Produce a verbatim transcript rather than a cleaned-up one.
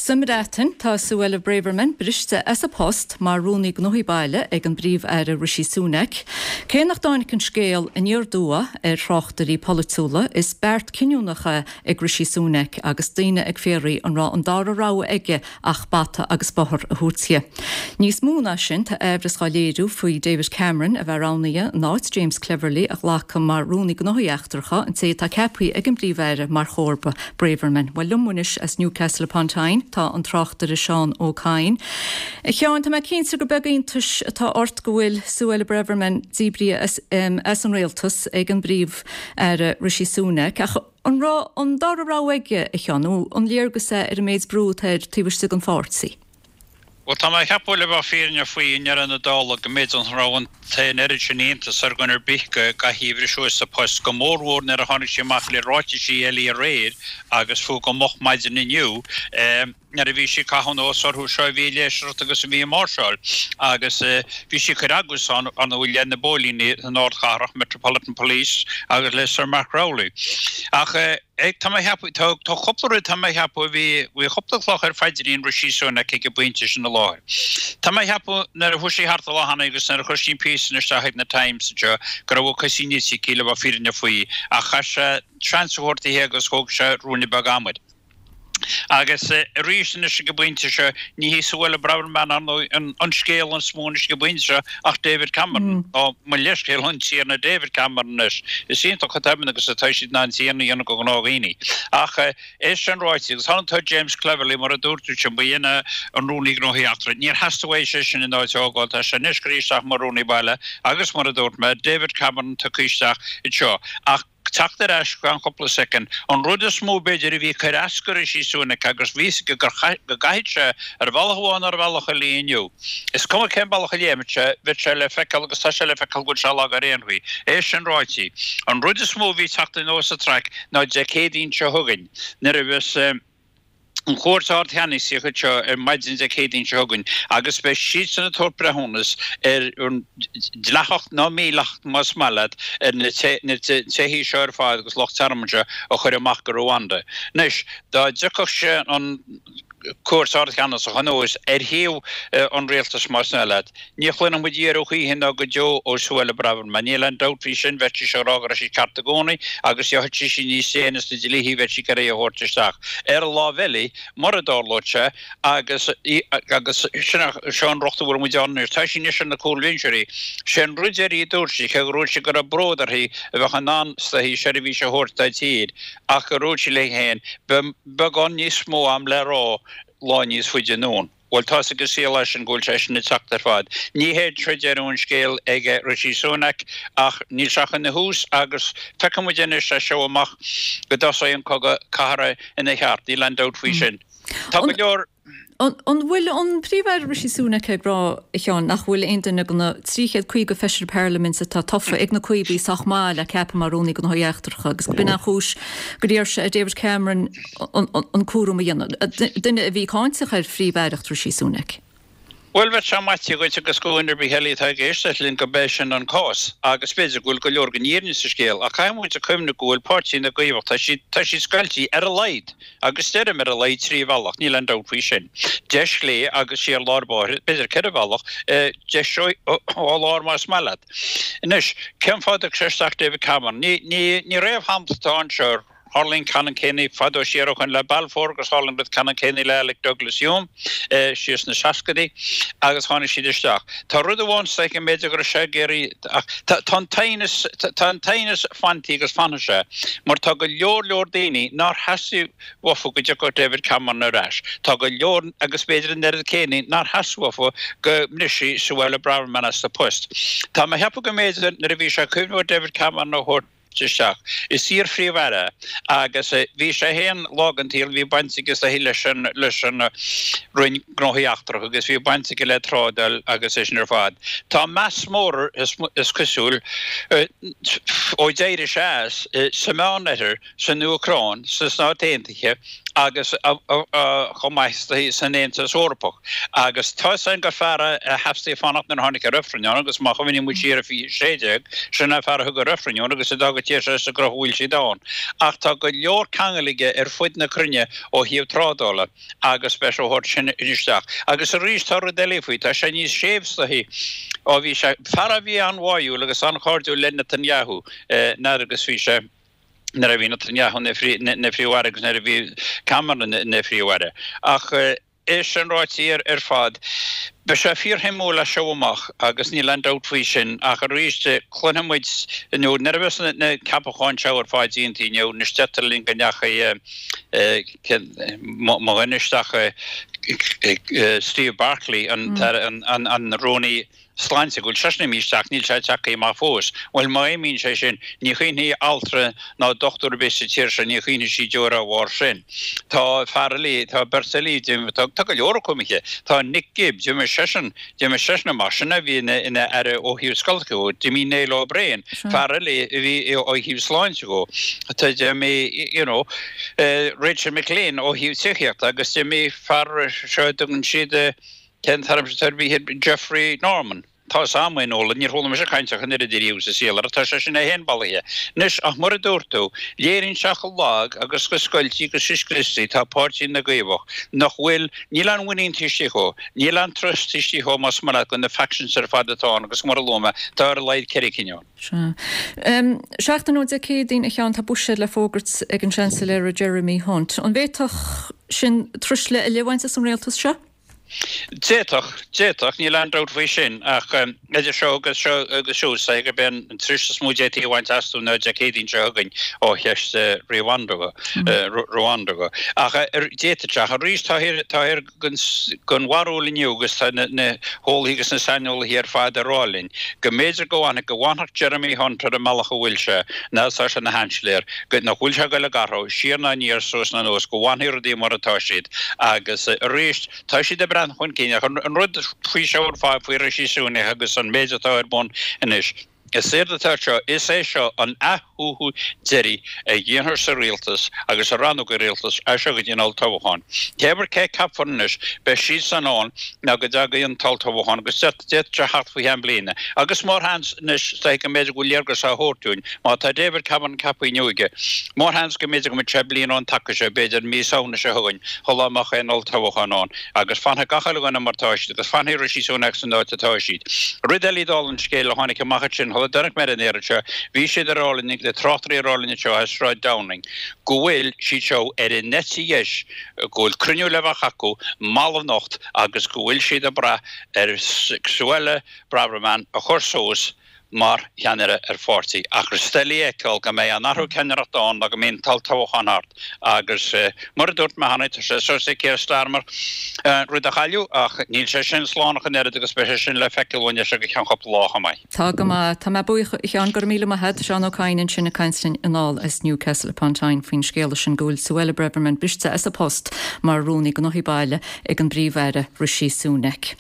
Sa mBreatain, tá Suella Braverman briste as a post mar Rúnaí Gnóthaí Baile ag an bPríomh-Aire Rishi Sunak. Cé nach dtáinig an scéal aniar aduaidh ar thráchtairí polaitiúla is beart cinniúnach é ag Rishi Sunak agus daoine ag fiafraí an raibh an dara rogha aige ach bata agus bóthar a thabhairt di. Níos mó ná sin tá aimhreas á léiriú faoi David Cameron a bheith roghnaithe in áit James Cleverly a ghlacadh mar Rúnaí Gnóthaí Eachtracha an té atá ceaptha ag an bPríomh-Aire mar chomharba Braverman. Well liom anois as Newcastle upon Tyne tá an tráchtaire Seán Ó Cadhain. A Sheáin tá mé cinnte gur beag iontas atá ort go bhfuil Suella Braverman díbrithe as, um, as an rialtas ag an bPríomh-Aire Rishi Sunak ach an raibh an dara rogha aige a Sheáin nó an léargas é ar an méid brú atá air taobh istigh den pháirtí. Well tá mé ag ceapadh le bheith fírinneach faoi i ndeireadh na dála go mb'fhéidir an raibh an t-aon oiread sin iontas ar dhuine ar bith go gcaithfí a bhriseadh as a post go mórmhór nuair a tháinig sí amach le ráitisí eile aréir agus fiú go moch maidin inniu nuair a bhí sí ag caitheamh anuas orthu seo a bhí ag léiseacht agus a bhí ag máirseáil agus bhí sí ag cur eagla ann ar ndóigh le na póilíní san ardchathrach Metropolitan Police agus le Sir Mark Rowley. Ach tá mé ag ceapadh tá cúpla rud tá mé ag ceapadh bhí bhí cúpla cloch ar phaidrín Rishi Sunak ag an bpointe sin i láthair. Tá mé ag ceapadh nuair a chuaigh sí thart an lá cheana agus nuair a chuir sí an píosa isteach ag na Times seo go raibh a cosaí nite aici le bheith fírinneach faoi ach chaith sé seans a thabhairt di agus thóg sé ruainne beag ama. Agus arís anois ag an bpointe seo ní hí Suella Braverman an an scéal is mó anois ag an bpointe seo ach David Cameron ó mo leithscéal an Tiarna David Cameron anois. Is iontach chomh tobann agus atá siad in ann tiarna a dhéanamh de ghnáthdhaoine. Ach é sin ráite agus tháinig tá James Cleverly mar a dúirt tú sin ba ina an rúnaí gnóthaí eachtracha. Níor theastaigh uaidh sé sin in áit a fhágáil tá sé anois curtha isteach mar rúnaí baile agus mar a dúirt mé David Cameron tugtha isteach anseo. Ach teacht ar ais gan cúpla soicind. An rud is mó b'fhéidir a bhí ag cur as do Rishi Sunak agus bhí go go gcaithfidh sé ar bhealach amháin ar bhealach eile inniu. Is cuma cén bealach a léimfeadh sé, bheadh sé le feiceáil agus tá sé le feiceáil go bhfuil sé lag ar aon chaoi. É sin ráite. An rud is mó a bhí teacht anuas sa traic ná Dé Céadaoin seo chugainn nuair a bheas an Chúirt Ardcheannasaíoch seo ar maidin Dé Céadaoin seo chugainn agus beidh siadsan ag tabhairt breithiúnas ar an dleathacht nó mídhleathacht más maith leat ar na teithí seo ar fad agus lucht tearmainn seo a chur amach go Rwanda. Anois dá dtiocfadh sé an Cúirt Ardcheannasach anuas ar thaobh an rialtais más maith leat. Ní chluinfidh muid iarraidh choíche ná go deo ó Suella Braverman. Níl aon dabht faoi sin bheadh sí ag rá go raibh sí ceart i gcónaí agus gheobhaidh sí sí níos déine sna dlíthe bheadh sí ag iarraidh a thabhairt isteach. Ar an lámh eile mura dtarlódh sé agus agus sin seo an rud a bhfuil muid ann anois. Tá sí anois ar na cúlbhinseoirí. Sé an rud deiridh a dúirt sí cé go raibh sí go raibh bród uirthi a bheadh in ann is seirbhís a thabhairt dá tír ach go raibh sí léi féin beagán níos mó am le rá lá níos faide anonn. Well tá go saol sin go bhfuil sé sin ag teacht ar fad. Ní hé seo deireadh an scéil ag Rishi Sunak ach níl sé ina thús agus feicfidh muid anois é seo amach go dtosóidh an cogadh cathartha ina cheart, níl aon dabht faoi sin. Tá go leor An bhfuil an Príomh-Aire Rishi Sunak ag rá a Sheáin nach bhfuil aon duine de na trí chéad caoga feisire parlaiminte atá tofa ag na Caomhaigh sách maith le ceapadh mar rúnaí gnóthaí eachtracha agus b'in an chúis gur iarr sé ar David Cameron an cúram a dhéanamh. Duine a bhí cáinteach ar phríomh-aireacht Rishi Sunak. Well bheadh sé maite dhuit agus go ar bith eile atá ag éisteacht linn go b'é sin an cás agus b'fhéidir go bhfuil go leor den fhírinne sa scéal ach caithfidh muid a chuimhneamh go bhfuil páirtí na gCaomhach tá siad tá siad scoilte ar a laghad agus deirim ar a laghad trí bhealach níl aon dabht faoi sin. Deis chlé agus siar lár báire b'fhéidir ceithre bhealach deis ó lár más maith leat. Anois cén fáth a sé isteach David Cameron ní ní ní réamhshampla atá anseo tharla an ceannann céanna fadó siar ó shin le Balfour agus tharla an ceannann céanna le Alec Douglas Home síos na seascaidí agus tháinig siad isteach. Tá rud amháin sa go mb'fhéidir go sé géirí tá an tá an teannas fanta agus fanfaidh sé, mar tá go leor leor daoine nár theastaigh uafa go dtiocfadh David Cameron ar ais. Tá go leor agus b'fhéidir an oiread céanna nár theastaigh uafa go mbrisfí Suella Braverman as a post. Tá mé ag ceapadh go mb'fhéidir nuair a bhí sé cuimhneamh David Cameron a thabhairt isteach. Is iar-phríomh-aire agus bhí sé féin lá den tsaol bhí baint aige leis an leis an Roinn Gnóthaí Eachtracha agus bhí baint aige le trádáil agus é sin ar fad. Tá meas mór is, is cosúil ó d'éirigh sé as sa Meánoirthear san Úcráin sna Stáit Aontaithe agus chomh maith san Aontas Eorpach. Agus tá sin gur fear a theastaigh fanacht nuair a tháinig an reifreann ann agus má chuimhníonn muid siar ar fiche sé déag, sin é fear a thug an reifreann ann agus a d'fhág an tír seo sa gcruth a bhfuil siad ann. Ach tá go leor ceangal aige ar fud na cruinne ó thaobh trádála agus beidh sé á thabhairt sin isteach. Agus arís tá rud eile faoi, tá sé níos séimhe is dóichí ó bhí sé, fear a bhí an-bháúil agus an-chairdiúil le Netanyahu nuair agus bhí sé, nuair a bhí Netanyahu ina phríomh-aire agus nuair a bhí Cameron ina phríomh-aire. Ach é sin ráite ar fad, beidh sé fíorshuimiúil as seo amach agus níl aon dabht faoi sin ach arís cluinfidh muid inniu nuair a bheas na ceapacháin seo ar fad déanta inniu, anois deirtear linn go ndeachaigh mo dhuine isteach Steve Barclay, an Rúnaí Sláinte, go bhfuil seisean imithe isteach, níl sé tagtha amach fós. Bhuel, má imíonn sé sin, ní chaoinfidh altra ná dochtúir ar bith sa tír seo, ní chaoinfidh sí deoir dá bharr sin. Tá fear eile, tá beirt eile, tá tá go leor acu imithe. Tá Nick Gibb, d'imigh seisean, d'imigh seisean amach, sin a bhí ina ina aire ó thaobh scoltacha dhó. D'imigh Neil O'Brien, fear eile a bhí ó thaobh sláinte dhó. Tá d'imigh, you know, Rachel McLean ó thaobh tithíochta agus d'imigh fear seo a dtugann siad, Cén t-ainm atá air, Jeffrey Norman. Tá a fhios a'm é Nolan, níor chuala mise caint ach an oiread ariamh sa saol air, tá seisean é féin bailithe. Anois, ach mar a dúirt tú, léiríonn sé chomh lag agus chomh scoilte agus chomh scriosta atá Páirtí na gCaomhach, nach bhfuil, níl aon mhuinín taobh istigh dhó, níl aon trust taobh istigh dhó más maith leat, go na factions ar fad atá ann agus mar a luaigh mé, tá ar a laghad ceithre cinn ann. Sea. Seachtain ó Dé Céadaoin, a Sheáin, tá buiséad le fógairt ag an Seansailéara Jeremy Hunt. An bhféadfadh sin truisle eile a bhaint as an rialtas seo? D'fhéadfadh, d'fhéadfadh, níl aon dabht faoi sin, ach idir seo agus seo agus siúd, is é gurb é an tuirse is mó a d'fhéadfaí a bhaint astu ná Dé Céadaoin seo chugainn ó cheist Rwanda Rwanda. Ach d'fhéadfadh sé, ach arís táthar den bharúil inniu agus tá na heolaithe agus na saineolaithe ar fad ag rá linn go mb'fhéidir go bhfanfadh, go bhfanfadh Jeremy Hunt ar an mbealach a bhfuil sé, nó tá sé ina Sheansailéir, go, nach bhfuil sé ag dul ag athrú, siar ná aniar, suas ná anuas, go bhfanfaidh rudaí mar atá siad agus arís, Tá siad ag breathnú chun cinn ach an rud faoi seo ar fad faoi Rishi Sunak agus an méid atá ar bun anois, is éard atá seo, is é seo an athshuaitheadh deiridh a dhéanfar sa rialtas agus sa rannóg rialtais as seo go dtí an olltoghchán. Cé ar cé a ceapfar anois, beidh siadsan ann nó go dtagaidh an t-olltoghchán agus d'fhéadfadh sé theacht faoi cheann bliana. Agus mórsheans anois, is dóiche go mb'fhéidir go bhfuil léargas á thabhairt dúinn, má tá David Cameron ceaptha inniu aige, mórsheans go mb'fhéidir go mbeidh sé bliain ón taca seo, b'fhéidir mí Samhna seo chugainn, shula mbeadh aon olltoghchán ann, agus fanfaidh gach uile dhuine mar atá siad, agus fanfaidh Rishi Sunak san áit atá siad. Rud eile dála an scéil a tháinig amach ansin shula dtáinig mé ar an aer anseo, bhí siad ag rá linn, na tráchtairí ag rá linn anseo as Sráid Downing, go bhfuil siad seo ar an eite dheis, go bhfuil cruinniú le bheith acu mall anocht agus go bhfuil siad ag brath ar Suella Braverman a chur suas mar cheannaire ar pháirtí ach is doiligh a fheiceáil go mbeidh aon athrú ceannaireachta ann nó go mbeidh an t-olltoghchán thart agus mar a dúirt mé cheana tá sé suas ag Keir Starmer rud a chailleadh ach níl sé sin slán ach an oiread agus beidh sé sin le feiceáil uainn as seo go ceann cúpla lá chomh maith. Tá go maith. Tá mé buíoch, a Sheáin, go raibh míle maith agat. Seán Ó Cadhain ansin ag caint linn anall as Newcastle upon Tyne faoin scéala sin go bhfuil Suella Braverman briste as a post mar Rúnaí Gnóthaí Baile ag an bPríomh-Aire Rishi Sunak.